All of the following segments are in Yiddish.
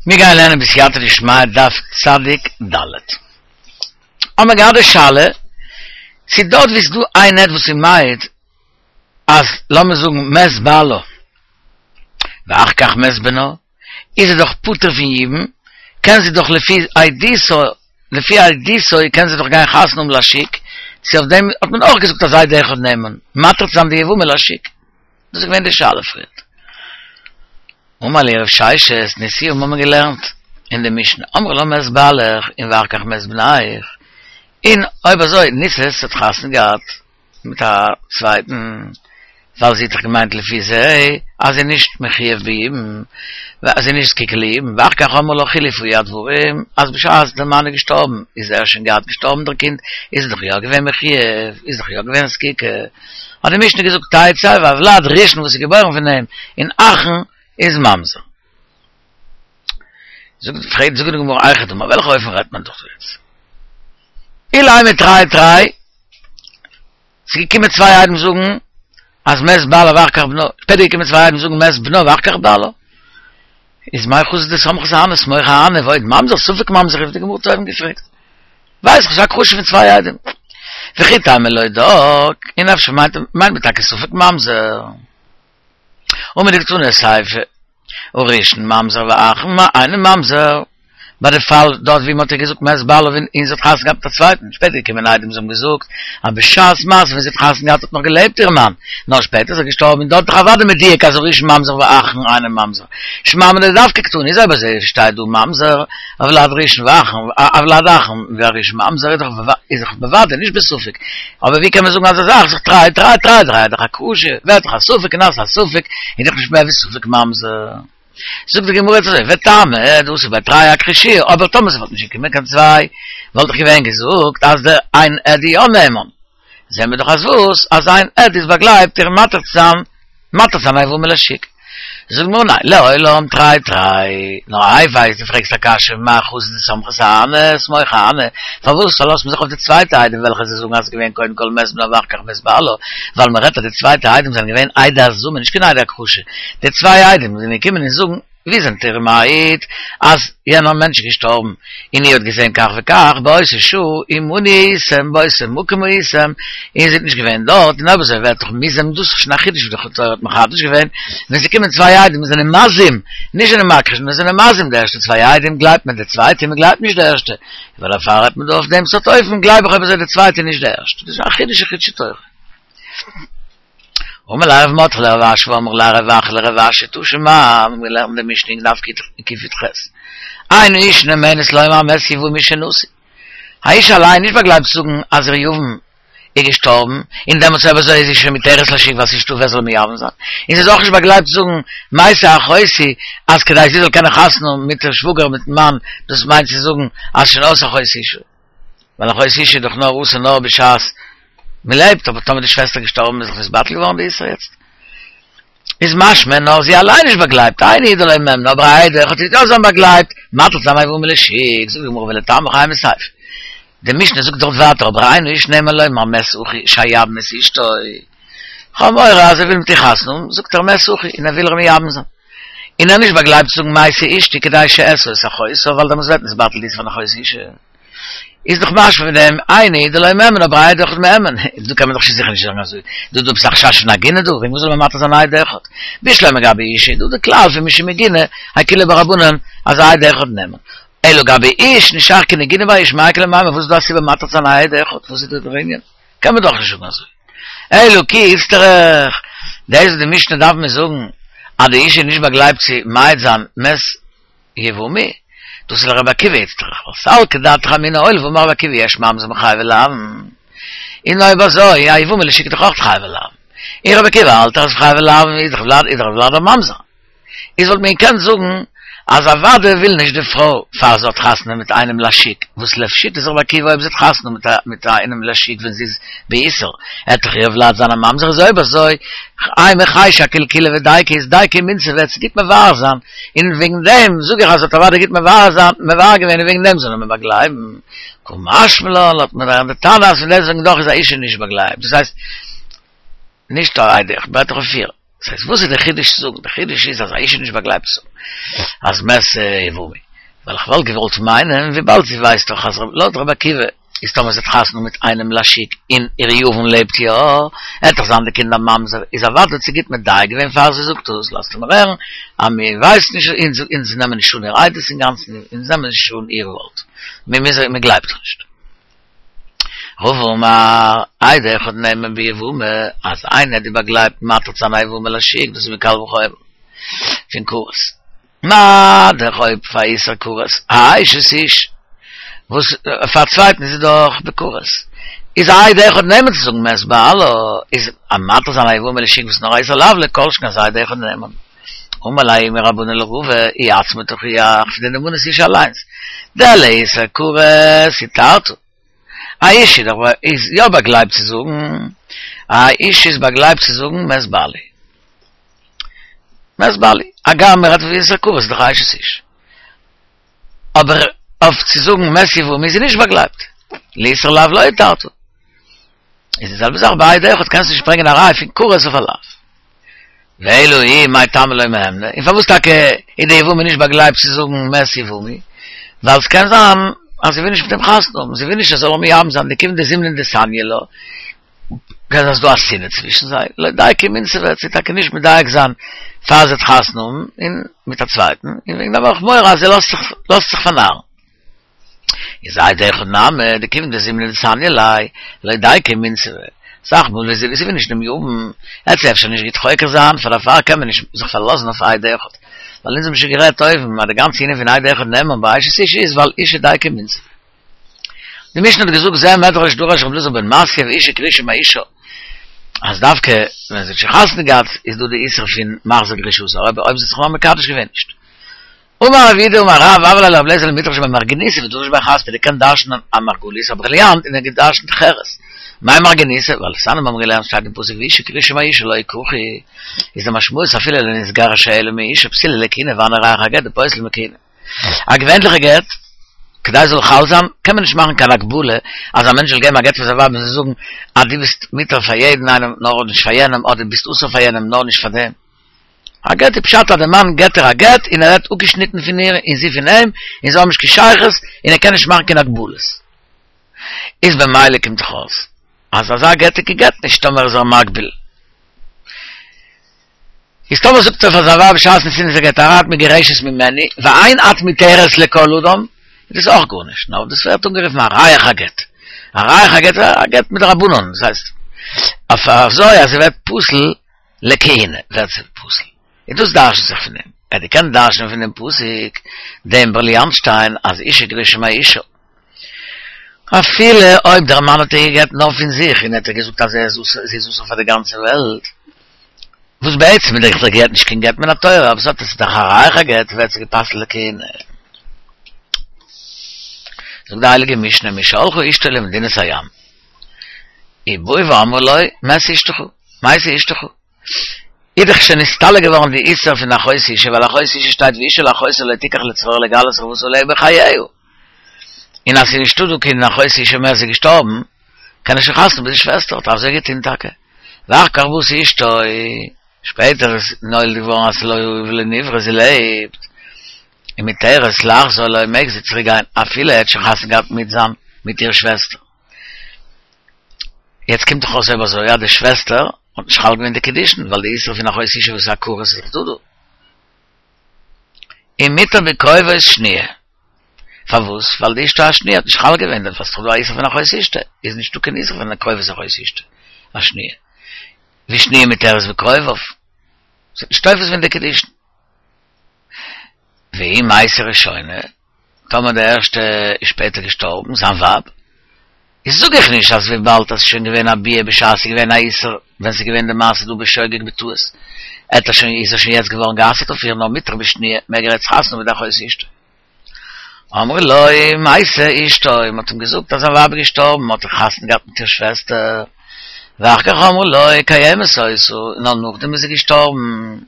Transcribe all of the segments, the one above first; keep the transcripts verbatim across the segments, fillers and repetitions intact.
מיר גייען לערנען בסייעתא דשמיא דף צדיק ד'. האבן מיר געהאט די שאלה צו דארט ווי ס'איז דא איין עד וואס איז מעיד אז לאמיר זאגן מת בעלה ואחר כך מת בנה איז ער דאך פטור פון יבום קען זי דאך לפי עדותו לפי עדותו קען זי דאך גיין חתונה האבן לשוק צו אויף דעם האט מען אויך געזאגט אז עד אחד נאמן מתיר צו זיין די יבמה לשוק דאס איז געווען די שאלה פריערט. אמר להו רב ששת, נשיאה האבן מיר געלערנט אין די משנה, אמרו לה מת בעלך און ואחר כך מת בנך, און אויב אזוי נישאת האט חתונה געהאט מיט א צווייטן, ווייל זי האט דאך געמיינט לפי זה אז זי איז נישט מחויב ביבום, אז זי איז נישט זקוקה ליבום, ואחר כך אמרו לה חילפו הדברים, אז בשעת דער מאן איז געשטארבן איז ער שוין געהאט געשטארבן דער קינד, איז זי דאך יא געווען מחויב, איז דאך יא געווען זקוקה, האט די משנה געזאגט תצא והולד ראשון וואס איז געבוירן פון אים און אחרון איז ממזר. זאגט פרעגט זאגט די גמרא היכי דמי וועלכע אופן רעדט מען דאך יעצט? אילימא תרי תרי ס'איז געקומען צוויי עדים זאגן אז מת בעלה ואחר כך בנה, שפעטער געקומען צוויי עדים זאגן מת בנה ואחר כך בעלה. איז מאי חזית דסמכת אהני סמוך אהני ועוד ממזר ספק ממזר האט די גמרא אויבן געפרעגט. ווייס איך ס'איז א הכחשה פון צוויי עדים. וכי תימא להודאי, און אפשר מיינט מען טאקע ספק ממזר. הא מדקתני סיפא, הראשון ממזר ואחרון אינו ממזר, ביי די פאל דארט ווי מ'האט איר געזאגט מת בעלה און זי האט חתונה געהאט מיט א צווייטן, שפעטער געקומען עדים זיי האבן געזאגט אז בשעת מעשה ווען זי האט חתונה געהאט האט נאך געלעבט איר מאן, נאר שפעטער איז ער געשטארבן און דארט איז דאך אוודאי מדויק אז הראשון ממזר ואחרון אינו ממזר, שמע מינה דווקא קתני איז אויב אזוי שטייט דא ממזר הולד ראשון ואחרון הולד אחרון והראשון ממזר איז דאך איז דאך בוודאי נישט בספק, אבער ווי קען מען זאגן אזא זאך זיך תרי תרי תרי תרי איז דאך הכחשה ווערט דאך א ספק און אז ס'איז א ספק איז דאך נישט מער ווי ספק ממזר. זאגט די גמרא אזוי וטעמא דאתו בי תרי אכחשוה אבער טאמער ס'וואלט נישט געקומען קיין צוויי וואלט איך געווען געזאגט אז דער איין עד איז יא נאמן זעהן מיר דאך אז וואס אז איין עד איז באגלייבט איר מתיר צו זיין מתיר זיין א יבמה לשוק. זאגט די גמרא ניין, לעולם תרי תרי, נאר איי ווייס דו פרעגסט א קשיא מאי חזית דסמכת אהני סמוך אהני, פארוואס פארלאזט מען זיך אויף די צווייטע עדים וועלכע זיי זאגן אז ס'איז געווען קודם כל מת בנה ואחר כך מת בעלה, ווייל מען רעדט אז די צווייטע עדים זענען געווען עדי הזמה נישט קיין עדי הכחשה, די צוויי עדים זענען געקומען און זאגן ווי זענט איר מעיד אז יענער מענטש איז געשטארבן און איר האט געזען כך וכך באותה שעה עמנו הייתם באותו מקום הייתם און איר זענט נישט געווען דארט און אויב אזוי ווערט דאך מוזם דאס איז שוין א חידוש וואס די תורה האט מחדש געווען ווען ס'קומען צוויי עדים און זענען מזים נישט זענען מכחיש נאר זענען מזים די ערשטע צוויי עדים גלייבט מען די צווייטע און מ'גלייבט נישט די ערשטע ווייל דערפאר רעדט מען דא אויף דעם סארט אופן גלייב איך אויב אזוי די צווייטע און נישט די ערשטע דאס איז א חידוש אין חידושי תורה. אמר ליה רב מרדכי לרב אשי ואמרי לה רב אחא לרב אשי תא שמע האבן געלערנט די משנה אין דף קי"ח אין האשה נאמנת לומר מת יבמי שנשוי א אשה אליין נישט באגלייבט צו זאגן אז איר יבם איז געשטארבן און דעמאלטס אויב אזוי איז זי שוין מותרת לשוק ווייל ס'איז נישטא ווער זאל מייבם זיין און זי איז אויך נישט באגלייבט צו זאגן מתה אחותי אז כדי זי זאל קענען חתונה האבן מיט איר שוואגער מיטן מאן דאס מיינט צו זאגן אז שוין אויס אחות אשה. ווייל אחות אשה איז דאך נאר אסור נאר בשעת מען לעבט, אבער טאמער די שוועסטער איז געשטארבן איז דאך נתבטל געווארן די איסור יעצט. איז משמע נאר זי אליין נישט באגלייבט, אינו דלא מהימנא, אבער א עד אחד איז יא זיין באגלייבט, מתיר זיין א יבמה לשוק, זאגט די גמרא ולטעמיך אימא סיפא. די משנה זאגט דארט ווייטער אבער אין האיש נאמן לומר מת אחי שאייבם את אשתו. כ'האב מורא אז ער וויל מיט איר חתונה האבן, זאגט ער מת אחי און ער וויל איר מייבם זיין. און ער נישט באגלייבט צו זאגן מתה אשתי כדי שאשא את אחותה ווייל דעמאלטס ווערט נתבטל די איסור פון אחות אשה. איז דאך משמע פון דעם אינו דלא מהימן אבער א עד אחד מהימן, דא קען מען דאך שוין זיכער נישט זאגן אזוי, דא איז דא עפעס א חשש פון עגונה דא, וועגן וואס זאל מען מתיר זיין א עד אחד? בשלמא גבי אשה איז דא די כלל פון משום עיגונא אקילו בה רבנן אז א עד אחד נאמן, אלא גבי איש נישט שייך קיין עיגונא ביי איש מאי איכא למימר וואס איז דא א סיבה מתיר צו זיין א עד אחד וואס איז דא דער ענין? קען מען דאך נישט זאגן אזוי. אלא כי איצטריך, דאס וואס די משנה דארף מיר זאגן אז די אשה איז נישט באגלייבט צו מעיד זיין מת יבמי, דאס איז לרבי עקיבא איצטריך, ווייל סלקא דעתך אמינא הואיל ואמר רבי עקיבא יש ממזר מחייבי לאוין, און אויב אזוי א יבמה לשוק איז דאך אויך חייבי לאוין, און רבי עקיבא האלט אז חייבי לאוין איז דאך ולד איז דאך ולד א ממזר. איז וואלט מען געקענט זאגן אז אוודאי וויל נישט די פרוי פאר זי האט חתונה מיט איינעם לשוק, וואס לשיטת רבי עקיבא אויב זי האט חתונה מיט מיט איינעם לשוק ווען זי איז באיסור, עט דאך איר ולד זיין א ממזר איז אויב אזוי אימא חיישי אקילקולא ודייקא איז דייקא ומינסבא וועט זי גוט מבאר זיין, און וועגן דעם זאג איך אז זי האט אוודאי גוט מבאר זיין מבאר געווען און וועגן דעם זאל מען באגלייבן, קא משמע לן לאזט מען הערן די תנא אז פון דעסטוועגן דאך איז א אשה נישט באגלייבט דאס הייסט נישט א עד אחד, בעט איך אויף פיר. דאס הייסט, וואס איז דער חידוש צו זאגן? דער חידוש איז אז א אשה נישט באגלייבט צו זאגן אז מת יבמי. ווייל איך וואלט געוואלט מיינען, וויבאלד זי ווייסט דאך אז לויט רבי עקיבא איז טאמער זי האט חתונה מיט איינעם לשוק און איר יבם לעבט יא, עט דאך זיין די קינד א ממזר, איז אוודאי האט זי גוט מדייק געווען פאר זי זאגט דאס, לאזט ער מיר הערן אז מיר ווייסן נישט, אונז אונז נעמען נישט אן איר עדות אינגאנצן, אונז נעמען נישט אן איר ווארט, מיר מיר מיר גלייבט איר נישט. רבא אמר, עד אחד נאמן ביבמה, אז איין עד איז באגלייבט מתיר צו זיין א יבמה לשוק, דאס איז מקל וחומר פון כרת. מה דאך אויב פאר איסור כרת, אשת איש, וואס פאר א צווייטן איז עס דאך בכרת, איז עד אחד נאמן צו זאגן מת בעלה, איז א מתיר זיין א יבמה לשוק וואס נאר א איסור לאו לא כל שכן אז עד אחד נאמן. אמר ליה ההוא מרבנן לרבא, היא עצמה תוכיח פון די נאמנות אשה אליינס, דלאיסור כרת התרת. א אשה איז דאך איז יא באגלייבט צו זאגן, א אשה איז באגלייבט צו זאגן מת בעלי. מת בעלי. הגם מ'רעדט פון איסור כרת איז דאך א אשת איש. אבער אויף צו זאגן מת יבמי איז זי נישט באגלייבט. לאיסור לאו לא התרת. איז די זעלבע זאך ביי עד אחד קענסטו נישט ברענגען א ראי' פון כרת אויף א לאו. ואלא היא מאי טעמא לא מהימנא, און פארוואס טאקע איז די יבמה נישט באגלייבט צו זאגן מת יבמי? ווייל ס'קען זיין אז זי וויל נישט מיט אים חתונה האבן, זי וויל נישט ער זאל איר מייבם זיין, דכיון דזימנין דסניא לה, קען זיין ס'דא א שנאה צווישן זיי, לא דייקא ומינסבא וועט זי טאקע נישט מדייק זיין פאר זי וועט חתונה האבן און מיט א צווייטן, און וועגן דעם האב איך מורא אז זי לאזט זיך לאזט זיך פארנארן. איז עד אחד נמי, דכיון דזימנין דסניא ליה, לא דייקא ומינסבא. אסאך מאל ווען זי וויל נישט דעם יבם, וועט זי אפשר נישט גוט חוקר זיין, פאר דערפאר קען מען נישט זיך פארלאזן אויף עד אחד. ווייל אונז האבן שוין גערעדט אויבן אז די גאנצע ענין פון עד אחד נאמן ביי אשת איש איז ווייל אשה דייקא ומינסבא. די משנה האט געזאגט זה מדרש דרש רבי אלעזר בן מתיא ואשה גרושה מאישה אז דווקא ווען זי האט שוין חתונה געהאט איז דא די איסור פון מחזיר גרושתו אבער אויב זי האט זיך נאר מקדש געווען נישט. אמר רב יהודה אמר רב הוה ליה לרבי אליעזר למדרש בי מרגניתא ודרש בי חספא ער קען דרש'נען א מרגלית א בריליאנט און ער האט געדרש'נט חרס מאי מרגניתא ווייל דתניא מיר האבן געלערנט שטייט אין פסוק ואשה גרושה מאישה לא יקחו איז די משמעות אפילו לא נתגרשה אלא מאישה פסולה לכהונה והני ריח הגט דפוסל מכהונה א געווענליכע גט כדי ס'זאל חל זיין קען מען נישט מאכן קיין הגבלה אז א מענטש זאל געבן א גט פאר זיין ווייב און זי זאגן אז דו ביסט מותר פאר יעדן איינעם נאר נישט פאר יענעם אדער ביסט אסור פאר יענעם נאר נישט פאר דעם. א גט איז פשט אז דער מאן געט איר א גט און ער ווערט אפגעשניטן פון איר און זי פון אים און זיי האבן נישט קיין שייכות און ער קען נישט מאכן קיין הגבלות. איז במילא קומט דאך אויס אז אזא גט איז קיין גט נישט טאמער איז ער מגביל. איז טאמער זאגט ער פאר זיין ווייב בשעת נתינת הגט הרי את מגורשת ממני ואין את מותרת לכל אדם איז דאס אויך גארנישט נאר דאס ווערט אנגערופן א ריח הגט. א ריח הגט איז א גט מדרבנן דאס הייסט אויף אזוי אז ס'ווערט פסול לכהונה ווערט זי פסול, און דאס דרש'נט זיך פון דעם, ער האט געקענט דרש'נען פון דעם פסוק דעם בריליאנט-שטיין אז אשה גרושה מאישה, אפילו אויב דער מאן האט איר גע'גט נאר פון זיך און ער האט איר געזאגט אז זי איז אסור פאר די גאנצע וועלט, וואס בעצם איז דאך דער גט נישט קיין גט מן התורה, אבער ס'האט עס איז דאך א ריח הגט ווערט זי גע'פסל'ט לכהונה. זאגט די הייליגע משנה משהלכה אשתו למדינת הים, ובאו ואמרו לו מת אשתך, מתה אשתך. איז דאך שוין נסתלק געווארן די איסור פון אחות אשה, ווייל אחות אשה שטייט ואשה אל אחותה לא תקח לצרור לגלות ערותה עליה בחייה. און אז ס'איז נישטא דא קיין אחות אשה מער, ס'איז געשטארבן, קען ער שוין חתונה מיט די שוועסטער, האט ער אזוי געטון טאקע. ואחר כך באת אשתו, שפעטער איז נולד געווארן אז ס'לא היה ולא נברא, זי לעבט, און מותרת לחזור לו מעג זי צוריק גיין אפילו ער האט שוין חתונה געהאט מיט זיין מיט איר שוועסטער. יעצט קומט דאך אויס אויב אזוי אז די שוועסטער האט נישט חל געווען די קידושין ווייל די איסור פון אחות אשה וואס איז א כרת איז דאך דא דא. ומותר בקרובות שניה. פארוואס? ווייל די אשתו השניה האט נישט חל געווען דערפאר ס'איז דאך דא א איסור פון אחות אשתו איז נישטא קיין איסור פון קרובות אחות אשתו השניה. ושניה מותרת בקרוביו. ס'האט נישט תופס געווען די קידושין. ואם מתה ראשונה, טאמער די ערשטע איז שפעטער געשטארבן, זיין ווייב, איז זאג איך נישט אז וויבאלד אז ס'איז שוין געווען א ביאה בשעת ס'איז געווען א איסור, ווען ס'איז געווען די מעשה דא בשוגג בטעות, האט ער שוין איז ער שוין יעצט געווארן גע'אסר'ט אויף איר נאר מותר בשניה, מעג ער יעצט חתונה מיט די אחות אשתו. אמרו לו, מתה אשתו, מ'האט אים געזאגט אז זיין ווייב איז געשטארבן, האט ער חתונה געהאט מיט איר שוועסטער, ואחר כך אמרו לו, קיימת היתה, נאר נאכדעם איז זי געשטארבן.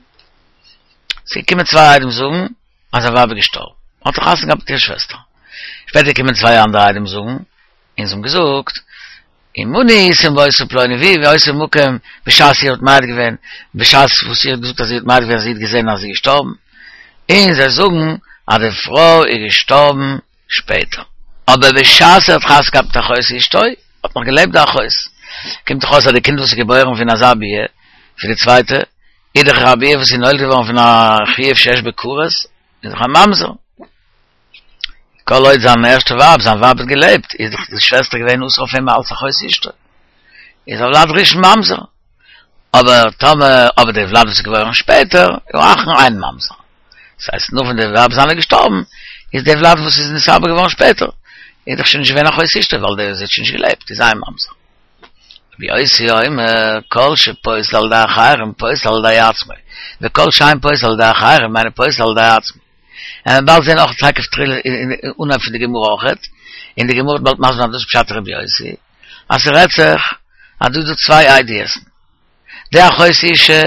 ס'איז געקומען צוויי עדים זאגן אז זיין ווייב איז געשטארבן, האט ער חתונה געהאט מיט איר שוועסטער. שפעטער קומען צוויי אנדערע עדים זאגן, און זיי האבן געזאגט אין מוני איסם בויסו פלויני ווי ואויסו מוקם בשעת איר האט מעיד געווען, בשעת וואס איר האט געזאגט אז איר האט מעיד געווען אז זי האט געזען אז זי איז געשטארבן, און זיי זאגן אז די פרוי איז געשטארבן שפעטער. אבער בשעת ער האט חתונה געהאט מיט אחות אשתו, האט נאך געלעבט די אחות. קומט דאך אויס אז די קינד וואס איז געבוירן פון אזא ביאה, פון די צווייטע, איז דאך א ביאה וואס איז נולד געווארן פון א חיוב שיש בו כרת, איז דאך א ממזר. כל עוד זיין ערשטע ווייב, זיין ווייב האט געלעבט, איז דאך די שוועסטער געווען אסור אויף אים אלס אחות אשתו. איז הולד ראשון ממזר. אבער טאמער, אבער די ולד וואס איז געבוירן שפעטער, איז אחרון אינו ממזר. דאס הייסט נאך ווען די ווייב זיינע איז געשטארבן, איז די ולד וואס איז נתעבר געווארן שפעטער, איז דאך שוין נישט געווען אחות אשתו, ווייל די זי האט שוין נישט געלעבט, איז איין ממזר. רבי יוסי אומר, כל שפוסל על ידי אחרים פוסל על ידי עצמו, וכל שאין פוסל על ידי אחרים אינו פוסל על ידי עצמו. און מ'וועט באלד זען אויך טאקע אנהייב פון די גמרא אויכעט, און די גמרא וועט באלד מסביר זיין דאס פשט רבי יוסי, אז ס'רעדט זיך אז דא איז דא צוויי עדות'ן, די אחות אשה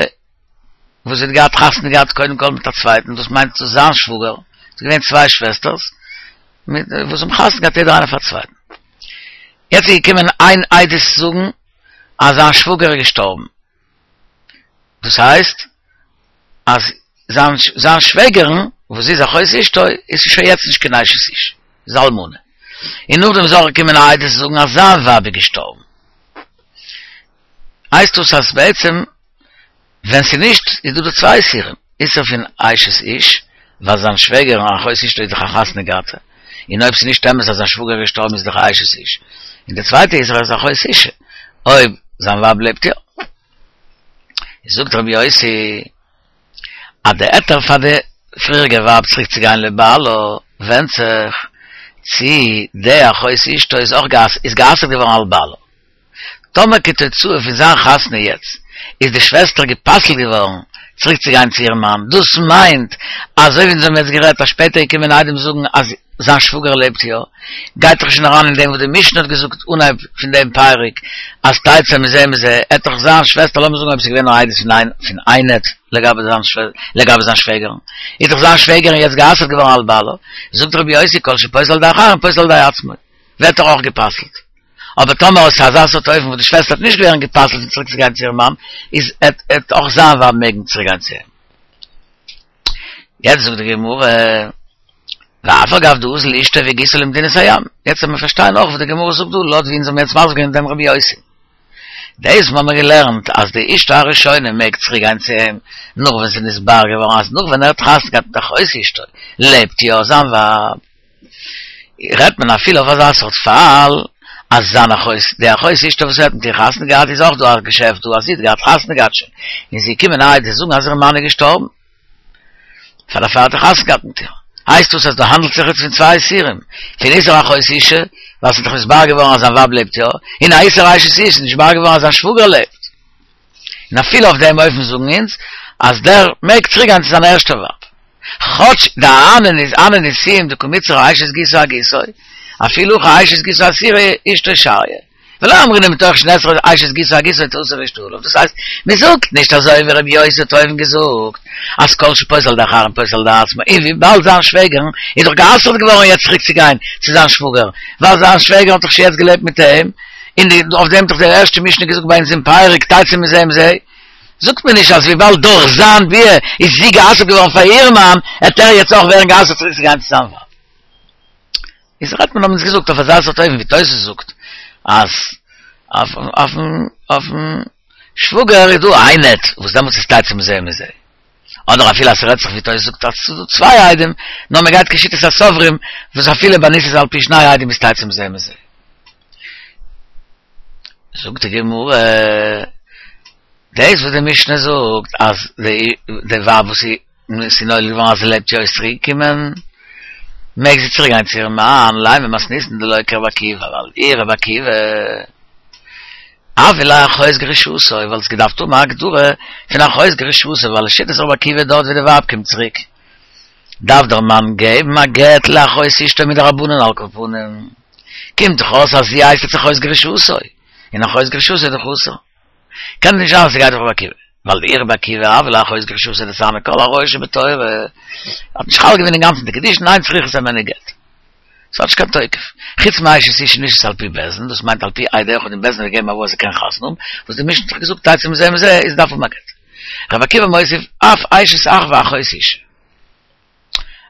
וואס זי האט געהאט חתונה געהאט קודם כל מיט א צווייטן, דאס מיינט צו זיין שוואגער, ס'איז געווען צוויי שוועסטערס מיט וואס האבן חתונה געהאט יעדער איינער פאר צווייטן, יעצט איז געקומען איין עדות זאגן אז זיין שוואגער איז געשטארבן, דאס הייסט אז זיין זיין שוועגערן וואס זי איז אחות אשתו איז שוין יעצט נישט קיין אשת איש, איז אלמנה, און נאכדעם איז אויך געקומען א עדות זאגן אז זיין ווייב איז געשטארבן, הייסט דאס אז בעצם ווען ס'איז נישט איז דא דא צוויי איסורים, איסור פון אשת איש, ווייל זיין שוועגערן אחות אשתו איז דאך א חתונה געהאטע, און אויב ס'איז נישט אמת אז זיין שוואגער איז געשטארבן איז דאך א אשת איש, און די צווייטע איסור איז אחות אשה, אויב זיין ווייב לעבט יא. זאגט רבי יוסי אז די היתר פאר די פריעריגע ווייב צוריק צו גיין לבעלה ווענדט זיך צי די אחות אשתו איז אויך איז גע'אסר'ט געווארן על בעלה. טאמער כתוצאה פון זיין חתונה יעצט איז די שוועסטער גע'פסל'ט געווארן צוריק צו גיין צו איר מאן, דאס מיינט אזוי ווי אונז האבן יעצט גערעדט אז שפעטער געקומען עדים זאגן אז זיין שוואגער לעבט יא, גייט דאך שוין אריין אין דעם וואס די משנה האט געזאגט אנהייב פון דעם פרק אז תצא מזה ומזה, עט דאך זיין שוועסטער לאמיר זאגן אויב ס'איז געווען נאר עדות פון איין פון איין עד לגבי זיין לגבי זיין שוועגערן, איז דאך זיין שוועגערן יעצט גע'אסר'ט געווארן על בעלה, זאגט רבי יוסי כל שפוסל על ידי אחרים פוסל על ידי עצמו, ווערט ער אויך גע'פסל'ט. אבער טאמער איז אזא סארט אופן וואס די שוועסטער וועט נישט ווערן גע'פסל'ט פון צוריק צו גיין צו איר מאן, איז עט עט אויך זיין ווייב מעגן צוריק גיין צו אים. יעצט זאגט די גמרא, ואף על גב דאזיל אשתו וגיסו למדינת הים. יעצט וועט מען פארשטיין אויך וואס די גמרא זאגט דא, לויט ווי אונז האבן יעצט מסביר געווען דעם רבי יוסי. דאס וואס מ'האמיר געלערנט אז די אשתו הראשונה מעג צוריק גיין צו אים נאך ווען ס'איז נתברר געווארן אז נאך ווען ער האט חתונה געהאט מיט אחות אשתו לעבט יא זיין ווייב, רעדט מען אפילו אויף אזא סארט פאל אז זיין אחות, די אחות אשתו וואס ער האט מיט איר חתונה געהאט איז אויך דא א געשעפט דא אז זי האט געהאט חתונה געהאט שוין און ס'איז געקומען עדות זאגן אז איר מאן איז געשטארבן פאר דערפאר האט ער חתונה געהאט מיט איר. הייסט דאס אז דא האנדלט זיך איצט פון צוויי איסורים, פון איסור אחות אשה, ווייל ס'איז דאך נתברר געווארן אז זיין ווייב לעבט יא, און א איסור אשת איש, ס'איז נתברר געווארן אז זיין שוואגער לעבט. און אפילו אויף דעם אופן זאגן אונז אז דער מעג צוריק גיין צו זיין ערשטע ווייב. כאטש דאהני נישואין דקא מיתסרא אשת גיסו אגיסו, אפילו הכי אשת גיסו אסירא אשתו שריא. ולא אמרינן מתוך שנאסרה אשת גיסו אגיסו תאסר אשתו עליו, דאס הייסט, מען זאגט נישט אזוי ווי רבי יוסי האט אויבן געזאגט, אז כל שפוסל על ידי אחרים פוסל על ידי עצמו, און וויבאלד זיין שוועגערן איז דאך גע'אסר'ט געווארן יעצט צוריק צו גיין צו זיין שוואגער, ווייל זיין שוועגער האט דאך שוין יעצט געלעבט מיט אים, און אויף דעם האט דאך די ערשטע משנה געזאגט ביי אונז אין פרק תצא מזה ומזה, זאגט מען נישט אז וויבאלד דורך זיין ביאה איז זי גע'אסר'ט געווארן פאר איר מאן, העט ער יעצט אויך ווערן גע'אסר'ט צוריק צו גיין צו זיין ווייב. איז רעדט מען האבן אונז געזאגט אויף אזא סארט אופן ווי תוס' זאגט אז אויפן אויפן שוואגער איז דא איין עד וואס דעמאלטס איז תצא מזה ומזה, אדער אפילו אז ס'רעדט זיך ווי תוס' זאגט אז ס'איז דא צוויי עדים, נאר מ'גייט כשיטת הסוברים וואס אפילו ביי נישאת על פי שני עדים איז תצא מזה ומזה. זאגט די גמרא, דאס וואס די משנה זאגט אז די ווייב וואס איז ס'איז נולד געווארן אז זי לעבט יא איז צוריק געקומען, מעג זי צוריק גיין צו איר מאן, לימא מתניתין דלא כרבי עקיבא, ווייל אי רבי עקיבא הויא לה אחות גרושתו, וואלט עס געדארפט האבן א הגדרה פון אחות גרושתו, ווייל לשיטת רבי עקיבא דארט ווי די ווייב קומט צוריק דארף דער מאן געבן א גט לאחות אשתו מדרבנן על כל פנים, קומט דאך אויס אז זי הייסט יעצט אחות גרושתו, און אחות גרושתו איז דאך אסור. קען נישט זיין אז ס'גייט אויף רבי עקיבא, ווייל דאי רבי עקיבא הויא לה אחות גרושתו דסני כל עריות שבתורה, האט נישט חל געווען אינגאנצן די קידושין אין צריכות הימנו גט. ס'האט נישט קיין תוקף. חוץ מאשת איש נישאת על פי בית דין, דאס מיינט על פי עד אחד און בית דין האט געגעבן הוראה אז זי קען חתונה האבן, וואס די משנה האט דאך געזאגט תצא מזה ומזה איז דארף האבן א גט. רבי עקיבא מוסיף אף אשת אח ואחות אשה.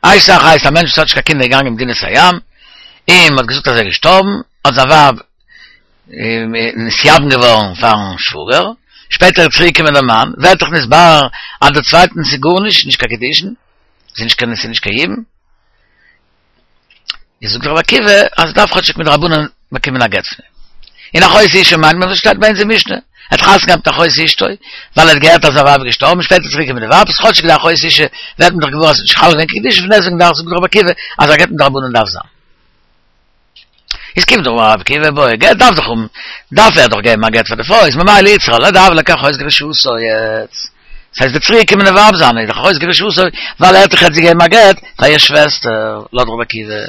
אשת אח הייסט א מענטש וואס האט נישט קיין קינדער געגאנגען אין מדינת הים, און מ'האט געזאגט אז ער איז געשטארבן, האט זיין ווייב נתייבם געווארן פארן שוואגער, שפעטער איז צוריק געקומען דער מאן, ווערט דאך נתברר אז דער צווייטנס איז גארנישט, נישט קיין קידושין, ס'איז נישט קיין ס'איז נישט קיין יבום. איז זאגט רבי עקיבא אז דארף כאטשיג מדרבנן באקומען א גט פון אים. און אחות אשה מיינט מען וואס שטייט ביי אונז אין משנה, ער האט חתונה געהאט מיט אחות אשתו, ווייל ער האט געהערט אז זיין ווייב איז געשטארבן, שפעטער צוריק געקומען די ווייב, איז כאטשיג די אחות אשה ווערט מען דאך געוואר אז ס'איז נישט חל געווען קיין קידושין, פון דעסטוועגן דארף זאגט רבי עקיבא אז א גט מדרבנן דארף זיין. איז קומט דאך רבי עקיבא בעי גט דארף דאך האבן דארף ער דאך געבן א גט פאר די פרוי איז ממילא איצטריכא ליה דהוה ליה כאחות גרושתו יעצט דאס הייסט די צוריק געקומענע ווייב זיינע איז דאך אחות גרושתו ווייל ער האט דאך יעצט געגעבן א גט פאר איר שוועסטער לויט רבי עקיבא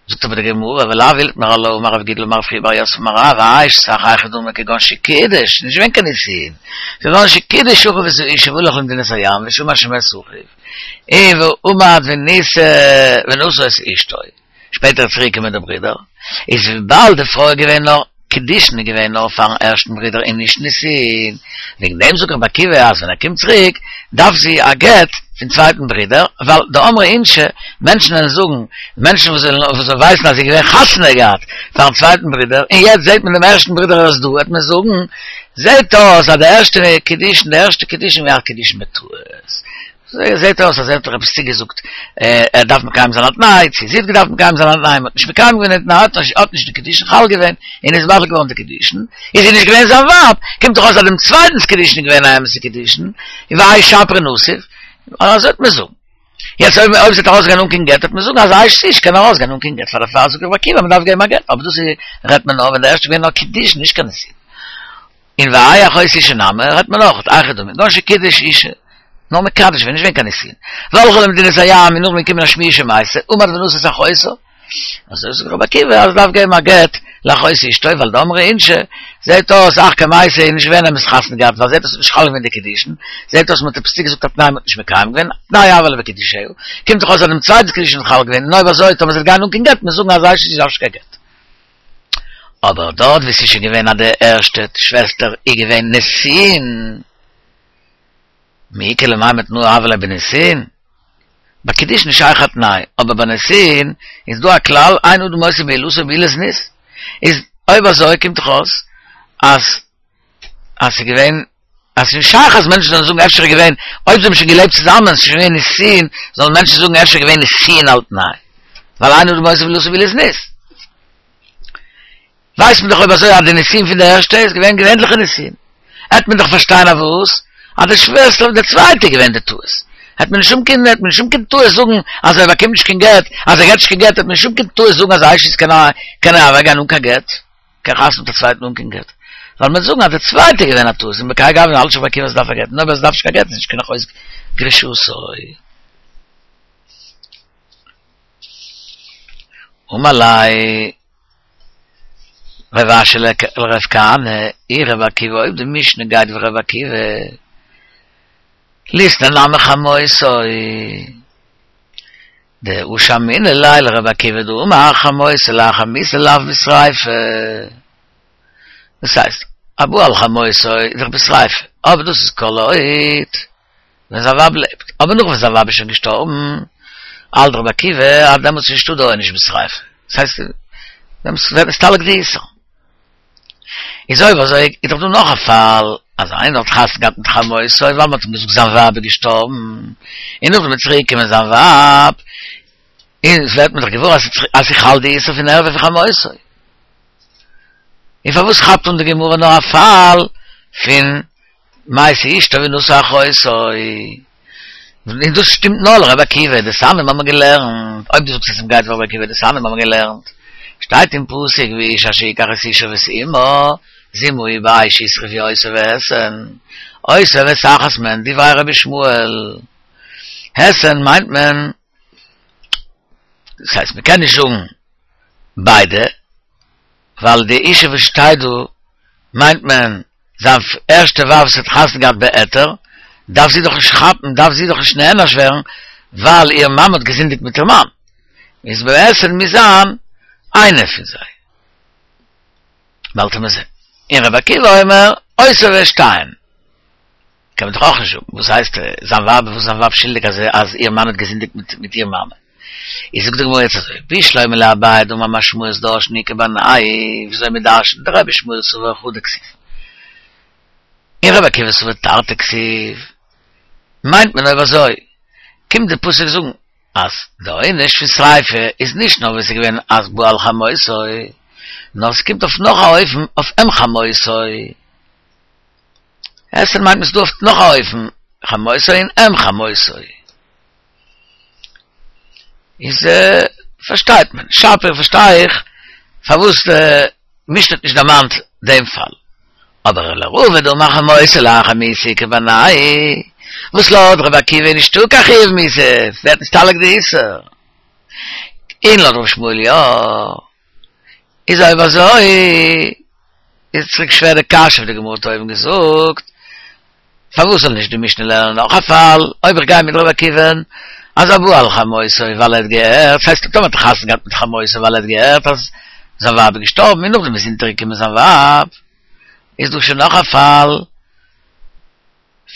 זאגט אבער די גמרא ולאו איתמר עלה אמר רב גידל אמר רב חייא בר יוסף אמר רב אשת אח היכי דמי כגון שקידש נישט געווען קיין נישואין כגון שקידש אחיו את האשה והלך למדינת הים ושמע שמת אחיו און ועמד ונישא ונשא את אשתו שפעטער איז צוריק געקומען דער ברודער, איז וויבאלד די פרוי איז געווען נאר קידושין איז געווען נאר פארן ערשטן ברודער און נישט נישואין, וועגן דעם זאגט רבי עקיבא אז ווען ער קומט צוריק דארף זי א גט פון צווייטן ברודער, ווייל דאמרי אינשי, מענטשן וועלן זאגן, מענטשן וואס ווייסן אז זי איז געווען חתונה געהאט פארן צווייטן ברודער, און יעצט זעט מען דעם ערשטן ברודער ער איז דא, וועט מען זאגן, זעט אויס אז די ערשטע קידושין, די ערשטע קידושין איז געווען א קידושין בטעות. זעהט אויס אז ער האט דאך עפעס צוגעזאגט ער דארף מקיים זיין א תנאי, צו זי האט געדארפט מקיים זיין א תנאי, מ'האט נישט מקיים געווען די תנאי, האט נישט די קידושין חל געווען, און איז בטל געווארן די קידושין, איז זי נישט געווען זיין ווייב, קומט דאך אויס אז דעם צווייטנס קידושין איז געווען א אמת'ע קידושין, און והאי שפריה נסיב, אזוי וועט מען זאגן. יעצט אויב אויב זי וועט ארויסגיין אן קיין גט וועט מען זאגן אז אשת איש קען ארויסגיין אן קיין גט, פאר דערפאר זאגט רבי עקיבא מ'דארף געבן א גט, אבער דאס איז רעדט מען נאר ווען די ערשטע איז געווען נאר קידושין נישט קיין נישואין. און והאי אחות אשה נמי רעדט מען אויך, היכי דמי, כגון שקידש אשה. נאר מקדש געווען, נישט געווען קיין נישואין. והלכה למדינת הים און נאכדעם געקומען א שמועה שמתה, עמד ונשא את אחותה. אזוי זאגט רבי עקיבא אז דארף געבן א גט לאחות אשתו ווייל דאמרי אינשי, זעהט אויס אחר כמתה איז נישט געווען אמת חתונה געהאט ווייל זעהט אויס ס'איז נישט חל געווען די קידושין, זעהט אויס מ'האט עפעס צוגעזאגט א תנאי מ'האט נישט מקיים געווען, תנאי הוה ליה בקידושיה, קומט דאך אויס אז דעם צווייטנס קידושין איז חל געווען, און אויב אזוי טאמער זי וועט גיין אן קיין גט מוז זאגן אז אשת איש דארף נישט קיין גט. אבער דארט ווי ס'איז שוין געווען אז די ערשטע שוועסטער איז געווען נישואין, מי איכא למימר תנאה הוה ליה בנישואין? ביי קידושין איז שייך א תנאי, אבער ביי נישואין איז דא א כלל אין אדם מוסיף בעילתו בעילת זנות, איז אויב אזוי קומט דאך אויס אז אז ס'איז געווען אז ס'איז נישט שייך אז מענטשן זאלן זאגן אפשר איז געווען אויב זיי האבן שוין געלעבט צוזאמען ס'איז שוין געווען נישואין זאלן מענטשן זאגן אפשר איז געווען נישואין על תנאי ווייל אין אדם מוסיף בעילתו בעילת זנות. ווייסט מען דאך אויב אזוי אז די נישואין פון די ערשטע איז געווען געווענליכע נישואין, העט מען דאך פארשטיין אז וואס? אז די שוועסטער פון די צווייטע איז געווען די טעות, העט מען נישט האבן קיין העט מען נישט האבן קיין טעות זאגן אז ער באקומט נישט קיין גט, אז ער געט נישט קיין גט, העט מען נישט האבן קיין טעות זאגן אז אשת איש קען קען אוועקגיין אן קיין גט, קען חתונה מיט א צווייטן אן קיין גט, ווייל מען וועט זאגן אז די צווייטע איז געווען א טעות, און בכהאי גוונא האלט נישט רבי עקיבא אז ס'דארף א גט, און אויב עס דארף נישט קיין גט איז נישט קיין אחות גרושתו. אמר ליה רב אשי לרב כהנא, אי רבי עקיבא אויב די משנה גייט ווי רבי עקיבא, ליתני נמי חמותו, דהא שמעינן ליה לרבי עקיבא דאמר חמותו לאחר מיתה לאו בשריפה, דאס הייסט, הבא על חמותו איז דאך בשריפה, אבער דאס איז כל עוד ווען זיין ווייב לעבט, אבער נאך ווען זיין ווייב איז שוין געשטארבן, האלט רבי עקיבא אז דעמאלטס איז נישטא די עונש בשריפה, דאס הייסט דעמאלטס ווערט נסתלק די איסור. איז אויב אזוי איז דאך דא נאך א פאל, אז איינער האט חתונה געהאט מיט חמותו ווייל מען האט אים געזאגט זיין ווייב איז געשטארבן, און נאכדעם איז צוריק געקומען זיין ווייב, און עס ווערט מען דאך געוואר אז ס'איז חל די איסור פון ערווה פון חמותו. און פארוואס כאפט אן די גמרא נאר א פאל פון מתה אשתו ונשא אחותו? און דאס שטימט נאר לרבי עקיבא, דתניא האבן מיר געלערנט, אויב דו זאגסט אז ס'גייט ווי רבי עקיבא דתניא האבן מיר געלערנט, שטייט אין פסוק ואיש אשר יקח את אשה ואת אמה זמה היא באש ישרפו אותו והתן, אותו ואת אחת מהן דברי רבי ישמעאל, התן מיינט מען, דאס הייסט מ'קען נישט זאגן ביידע, ווייל די אשה וואס שטייט דא מיינט מען זיין ערשטע ווייב וואס האט חתונה געהאט בהיתר, דארף זי דאך נישט כאפן, דארף זי דאך נישט נענש ווערן, ווייל איר מאמע האט געזינדיגט מיט איר מאן. איז בעסער מיר זיין איינער פון זיי. באלד מיר זען. אין רבי עקיבא אומר, עושה ושתיים. קען מען דאך אויך נישט זאגן. וואס הייסט, זיין ווייב, וואס זיין ווייב שולדיג, אז אז איר מאן האט געזינדיגט מיט מיט איר מאמע. איז זאגט די גמרא יעצט אזוי, בשלמא לאביי דאמר משמעות דרשין איכא בינייהו, וויאזוי מען דרשנט דרבי ישמעאל סבר חדא כתיב. און רבי עקיבא סבר תרתי כתיב. מיינט מען אויב אזוי, קומט די פסוק זאגן אז די עונש פון שריפה איז נישט נאר ווען ס'איז געווען אז בא על חמותו, נאר ס'קומט אויף נאך א אופן אויף אם חמותו. אתרא מיינט מען ס'דא אויף נאך א אופן חמותו און אם חמותו. איז פארשטייט מען, שפיר פארשטיי איך פארוואס די משנה האט נישט דערמאנט דעם פאל. אבער לרבא דאמר חמותו לאחר מיתה איכא בינייהו, וואס לויט רבי עקיבא איז נישטא קיין חיוב מיתה, ווערט נסתלק די איסור. און לויט רבי ישמעאל יא. איז אויב אזוי איז צוריק שווער די קשיא וואס די גמרא האט אויבן געזאגט, פארוואס זאל נישט די משנה לערנען נאך א פאל, אויב איך גיי מיט רבי עקיבא'ן אז הבא על חמותו ווייל ער האט געהערט, ס'הייסט טאמער האט ער חתונה געהאט מיט חמותו ווייל ער האט געהערט אז זיין ווייב איז געשטארבן און נאכדעם איז אונטערגעקומען זיין ווייב, איז דא שוין נאך א פאל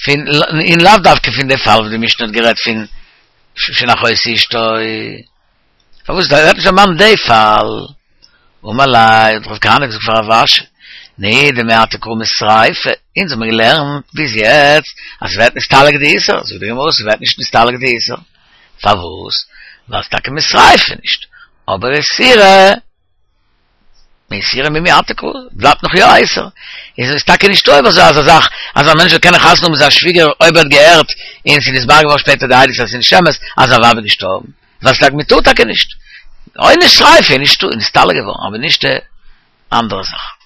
פון, און לאו דווקא פון די פאל וואס די משנה האט גערעדט פון פון אחות אשתו. פארוואס ווערט נישט דערמאנט די פאל? אמר ליה, האט רב כהנא געזאגט פאר רב אשי, נהי דמעתה קרא משריפה, אונז האבן געלערנט ביז יעצט אז ס'ווערט נסתלק די איסור, זאגט די גמרא ס'ווערט נישט נסתלק די איסור, פארוואס? ווייל ס'טאקע משריפה נישט, אבער איסורא מאיסורא מי מעתה קרא, בלייבט נאך יא א איסור, איז עס טאקע נישטא אויב אזוי אזא זאך אז א מענטש זאל קענען חתונה האבן מיט זיין שוויגער אויב ער האט געהערט און ס'איז נתברר געווארן שפעטער די עדות אז ס'איז נישט אמת אז זיין ווייב איז געשטארבן, ווייל ס'טאקע מ'טאר טאקע נישט. עונש שריפה איז נישטא, איז נסתלק געווארן, אבער נישט די אנדערע זאך.